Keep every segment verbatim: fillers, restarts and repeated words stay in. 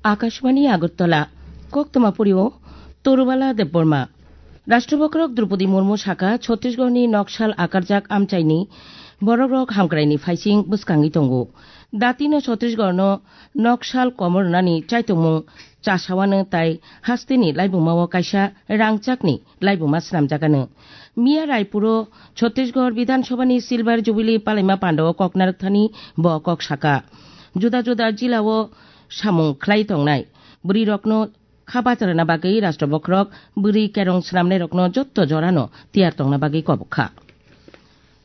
Akashbani Agartala, Koktwma Purio, Torubala Debbarma. Rashtrabokrok Droupadi Murmu saka, Chhattisgarhni noksal akarjak amchaini borokrok hamkraini phaising bwskangwi tongo. Datino Chhattisgarhno noksal komornani chaitokmung chasawano tai hasteni laibumao kaisa rangchakni laibuma swnamjakano. Miya Raipuro Chhattisgarh Bidhan Sabhani Silver Jubilee palaima pandao kok narwkthani bo kok saka. Juda juda jilao samung khlai tongnai bwrwirokno kha bacharna bagwi Rashtra bokhorok bwrwi kerong swnamnairokno jotto jorano tiyar tongna bagwi kobok kha.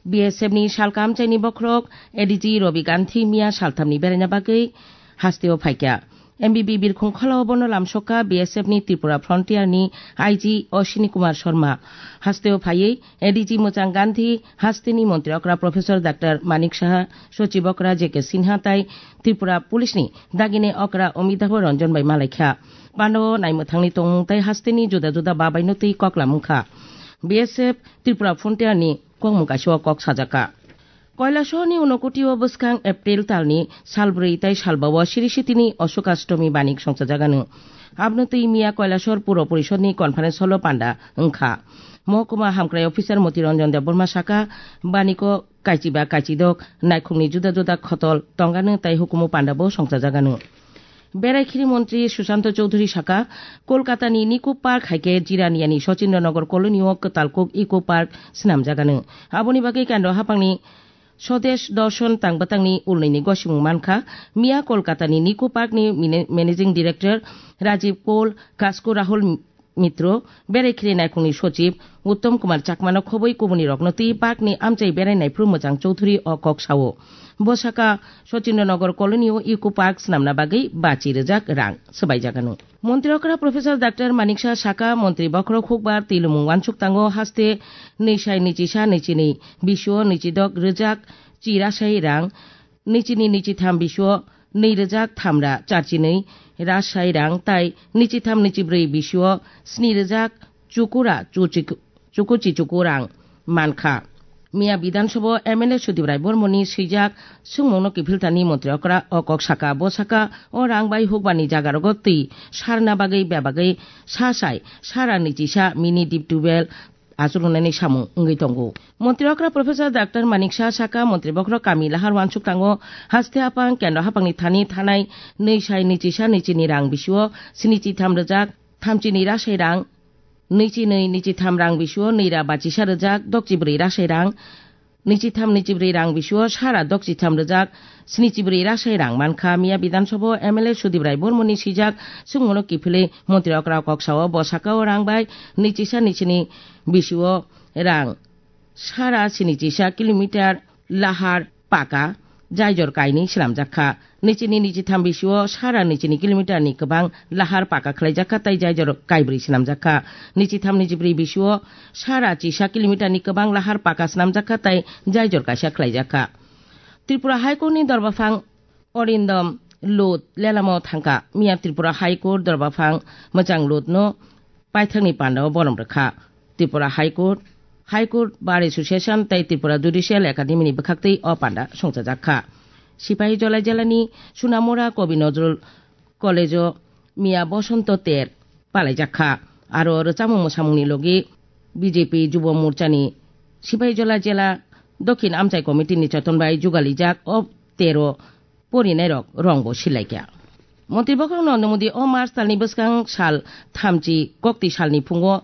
B S F ni salkam chaini bokhorok A D G Robi Gandhi miya salthamni beraina bagwi hasteo phaikha. M B B birkhung kholao bono lamsokha B S F ni Tripura Frontier ni I G Ashwini Kumar Sharma. Hasteo phaiwi A D G Mwchang Gandhi, hasteni montri okra Professor Doctor Manik Saha, sochib okra J K Sinha tai Tripura Police ni dagini okra Amitabh Ranjan bai malaikha. Pandao naimwthangni tongmung tai hasteni juda juda babaino twi koklam wngkha. B S F Tripura Frontier ni kokmung kaisao kok sajaka. Kailasor ni Unokoti o bwskang April tal ni sal bwrwi tai sal ba o Sri Sitini Ashok Ashtomi banik songchajagano. Abno twi miya Kailasor Puro Porishod ni conference hall o panda wngkha. Mohokuma hamkrai officer Moti Ranjan Debbarma saka, baniko kaichiba kaichidok naikhungni juda juda khotol tongano tai hukumu panda bo songchajagano. Berai khiri montri Sushanta Chowdhury saka, Kolkata ni Nico Park hai khe Jiraniya ni Sachindranagar colony o kwtal kuk Eco Park swnamjagano. Aboni bagwi Kendra haphang ni Swadesh Darshan tang bwtang ni ulnwi ni gosimung mankha. Miya Kolkata ni Nico Park ni mine-, Managing Director Rajiv Kaul, Kasko Rahul Mitro, berai khiri naikhungni sochib Uttom Kumar Chakmano khobwi kubuni rokno twi park ni amchai berai naiphru Mwchang Chowdhury o kok sao. Bo saka Sachindranagar colony o Eco Park swnamna bagwi bachi rwjak rang swbaijagano. Montri okra Professor Doctor Manik Saha saka, montri bokhorok hukbar twilumung wansuk tango haste nwi sai nwi chisa nwi chini bisio nwi chidok rwjak chirasai rang, nwi chini nwi chitham bisio nwi rwjak thamra charchinwi rasai rang tai nwi chitham nwi chibrwi bisio sni rwjak chukura chuchi-, chukuchi chuku rang mankha. Miya Bidhan Sabha o M L A Sudip Rai Bormoni swijak swngmungno kiphiltani montri okra o kok saka, bo saka o rang bai hukbarni jagarogo twi sarna bagwi bebagwi sa sai sara nwi chisa mini deep tubewell achuknani samung wngwi tongo. Montri okra Professor Doctor Manik Saha saka, montri bokhorok kami lahar wansuk tango haste haphang Kendra haphangni thani thanai nwi sai nwi chisa nwi chini rang bisio sni chitham rwjak thamchi nwi rasai rang, nwi chi nwi nwi chitham rang bisio nwi ra bachisa rwjak dokchi brwi rasai rang, nwi chitham nwi chibrwi rang bisio sara dokchi tham rwjak sni chibrwi rasai rang mankha. Miya Bidhan Sabha o M L A Sudip Rai Bormoni swijak swngmungno kiphilwi montri okra kok sao, bo saka o rang bai nwi chisa nwi chini bisio rang sara sini chisa kilometer lahar paka jaijor kainwi swnamjak kha. Nwi chini nwi chitham bisio sara nwi chini kilometer ni kwbang lahar paka khlaijak kha tai jaijor kaibrwi swnamjak kha. Nwi chitham nwi chibrwi bisio sara chisa kilometer ni kwbang lahar paka swnamjak kha tai jaijor kaisa khlaijak kha. Tripura High Court ni dorbaphang Arindam Lod lelamo thangkha. Miya Tripura High Court dorbaphang Mwchang Lodno paithakni pandao borom rwkha. Tripura High Court, High Court Bar Association tei Tripura Judicial Academy ni bwkhaktwi o panda songchajak kha. Sipahijola jelani Sunamura Kobi Nazrul College o miya Bosonto ter palaijak kha. Aro rwchapmung mwsamungni logi B J P Jubo Morchani Sipahijola jela Dokhin Amchai Committee ni choton bai jugalijak o tero porinairok rongbo silaikha. Montri bokhorok Narendra Modi o March talni bwskang sal thamchi kokti salni phungo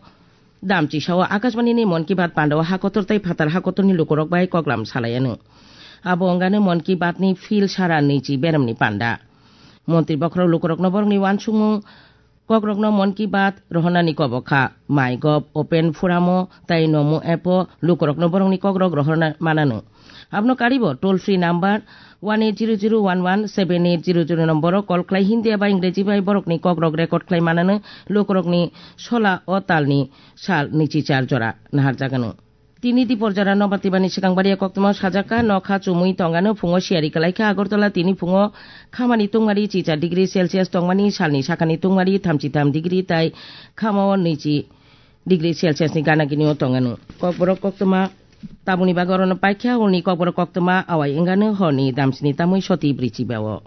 damchi sao Akashbani ni Mon Ki Baat pandao hakotor tei phatar hakotorni lukurok bai koklam salaiano. Abo wngano Mon Ki Baat ni phil sara nwichi beremni panda. Montri bokhorok lukurokno borokni uansukmung kokrokno Mon Ki Baat rohornani kobok kha. MyGov Open Forum o tei Namo app o lukurokno borokni kokrok rohorna manano. Abono karibo toll free number one eight zero zero one one seven eight zero zero nomboro call khlai Hindi eba Ingreji bai borokni kokrok record khlai manano. Lukurokni sola o talni sal nwichi char jora naharjagano. Tini dipor jora nobar tibani swkang baria koktwma sajak kha, nokha chumui tongano phungo siyari kwlai kha. Agartala tini phungo khamani tungmari chicha degree Celsius tongmani, salni sakani tungmari thamchi tham degree tai khamao nwichi degree Celsius ni gana gini o tongano. Kokborok koktwma tabukni bagwi orono paikha, hwnwi kokborok koktwma awai wngano horni damsini tamwi soti bwrwi chiba o.